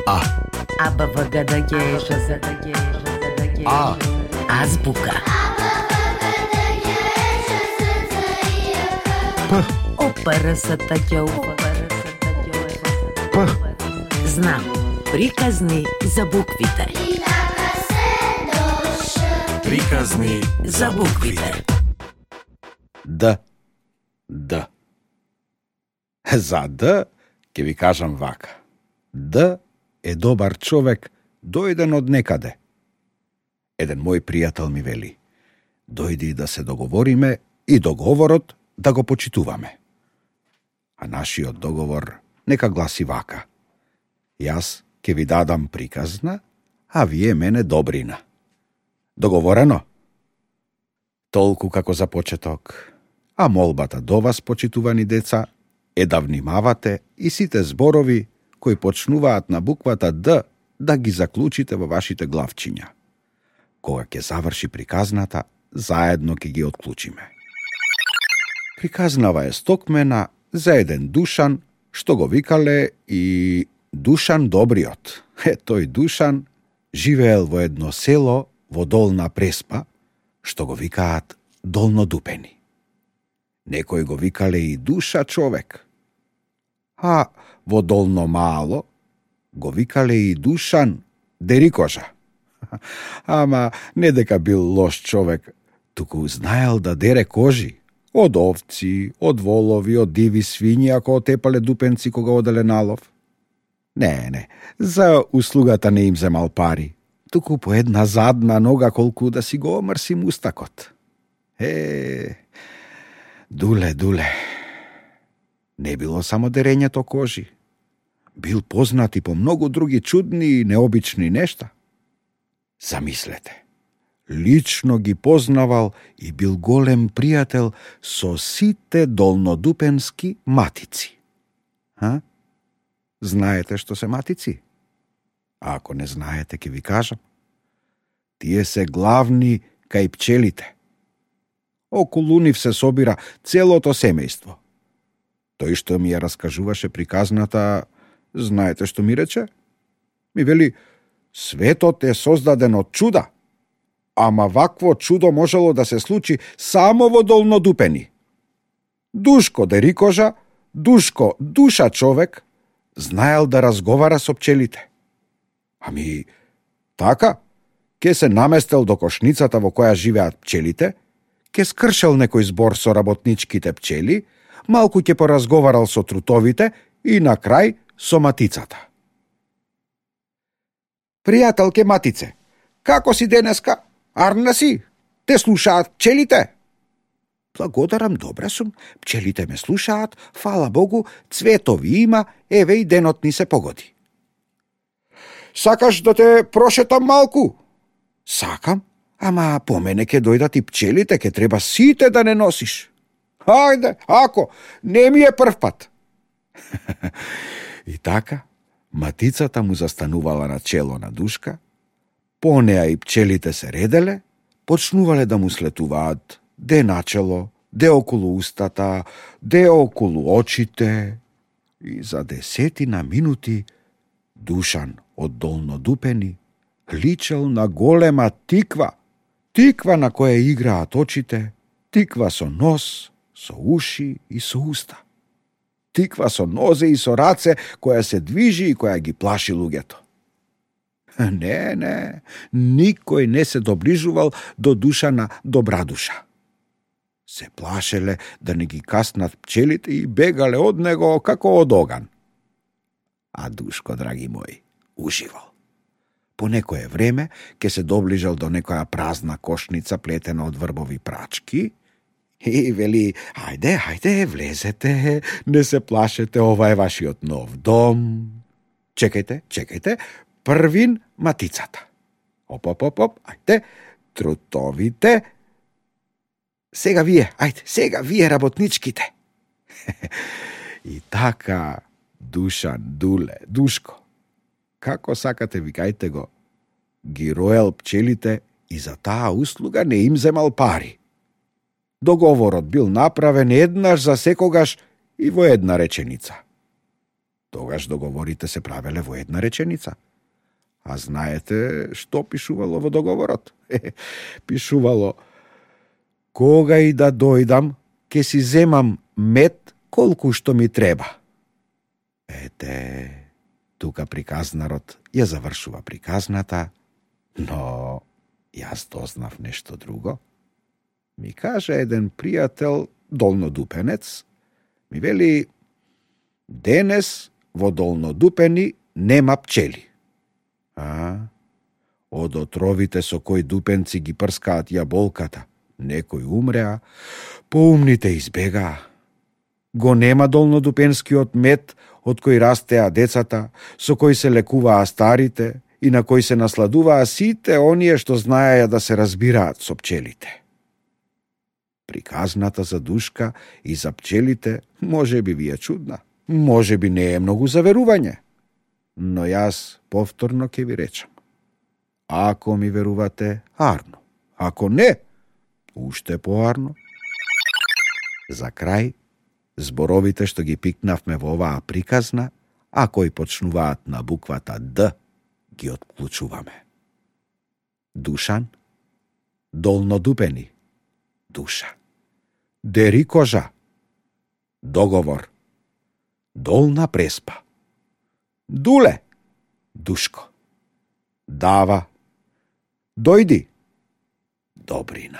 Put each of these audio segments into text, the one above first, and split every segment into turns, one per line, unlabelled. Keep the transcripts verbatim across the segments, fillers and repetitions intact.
А.
А, Б, В, Г, Д, Г, Ш, З, Д, Г, Ш, З, Д, Г.
А.
Азбука.
П.
О, П, Р, С, Т, Қ, У, П, Р, С, Т, Қ, У,
П.
Знам. Приказни за буквите.
Приказни
За буквите.
Д. Д. За Д ќе ви кажам вака. Д е добар човек, дојден од некаде. Еден мој пријател ми вели: дојди да се договориме и договорот да го почитуваме. А нашиот договор нека гласи вака: јас ќе ви дадам приказна, а вие мене добрина. Договорено? Толку како за почеток. А молбата до вас, почитувани деца, е да внимавате и сите зборови кои почнуваат на буквата Д да ги заклучите во вашите главчиња. Кога ќе заврши приказната, заедно ќе ги отклучиме. Приказнава е стокмена за еден Душан, што го викале и Душан Добриот. Е, тој Душан живеел во едно село во Долна Преспа, што го викаат Долнодупени. Некој го викале и Душа човек. А во Долно Мало го викале и Душан Дерикожа. Ама не дека бил лош човек, туку знаел да дере кожи. Од овци, од волови, од диви свињи, ако отепале дупенци кога оделе на лов. Не, не, за услугата не им земал пари, туку по една задна нога колку да си го омрси мустакот. Е, дуле, дуле. Не било само дерењето кожи. Бил познат и по многу други чудни и необични нешта. Замислете, лично ги познавал и бил голем пријател со сите долнодупенски матици. А? Знаете што се матици? А ако не знаете, ќе ви кажам. Тие се главни кај пчелите. Околу нив се собира целото семејство. Тој што ми ја раскажуваше приказната, знаете што ми рече? Ми вели: светот е создаден од чуда, ама вакво чудо можело да се случи само во Долнодупени. Душко Дерикожа, Душко Душа човек, знаел да разговара со пчелите. Ами, така, ке се наместел до кошницата во која живеат пчелите, ке скршел некој збор со работничките пчели, малку ќе поразговарал со трутовите и на крај со матицата. Пријателке матице, како си денеска? Арна си? Те слушаат пчелите? Благодарам, добра сум. Пчелите ме слушаат, фала Богу, цветови има, еве и денот ни се погоди. Сакаш да те прошетам малку? Сакам, ама по мене ке дојдат и пчелите, ке треба сите да не носиш. Хајде, ако, не ми е прв пат. И така, матицата му застанувала на чело на Душка, по неа и пчелите се ределе, почнувале да му слетуваат де начело, де околу устата, де околу очите, и за десетина минути Душан од Долнодупени личел на голема тиква, тиква на која играат очите, тиква со нос, со уши и со уста. Тиква со нозе и со раце, која се движи и која ги плаши луѓето. Не, не, никој не се доближувал до Душана Добрадуша. Се плашеле да не ги каснат пчелите и бегале од него како од оган. А Душко, драги мои, уживал. По некое време ке се доближал до некоја празна кошница плетена од врбови прачки и вели: ајде, ајде, влезете, не се плашете, ова е вашиот нов дом. Чекајте, чекајте, првин матицата. Оп, оп, оп, оп, ајде, трутовите. Сега вие, ајде, сега вие работничките. И така, Душан, Дуле, Душко, како сакате, викајте го, ги роел пчелите и за таа услуга не им земал пари. Договорот бил направен еднаш за секогаш и во една реченица. Тогаш договорите се правеле во една реченица. А знаете што пишувало во договорот? Пишувало: кога и да дојдам, ке си земам мед колку што ми треба. Ете, тука приказнарот ја завршува приказната, но јас дознав нешто друго. Ми каже еден пријател, долнодупенец, ми вели: денес во Долнодупени нема пчели. А, од отровите со кои дупенци ги прскаат јаболката, некои умреа, поумните избегаа. Го нема долнодупенскиот мед од кој растеа децата, со кој се лекуваа старите и на кој се насладуваа сите оние што знаеја да се разбираат со пчелите. Приказната за Душка и за пчелите може би ви е чудна, може би не е многу за верување, но јас повторно ќе ви речам. Ако ми верувате, арно. Ако не, уште поарно. За крај, зборовите што ги пикнавме во оваа приказна, а кои почнуваат на буквата Д, ги отклучуваме. Душан, долнодупени, душа. Дери кожа, договор. Долна преспа. Дуле, Душко. Дава, дојди, Добрина.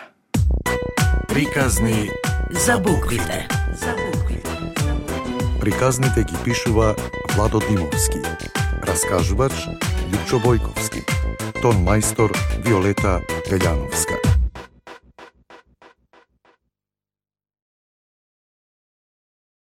Приказни
За буквите. За буквите.
Приказните ги пишува Владо Димовски. Раскажувач Лјупчо Бојковски. Тон мајстор Виолета Велјановска.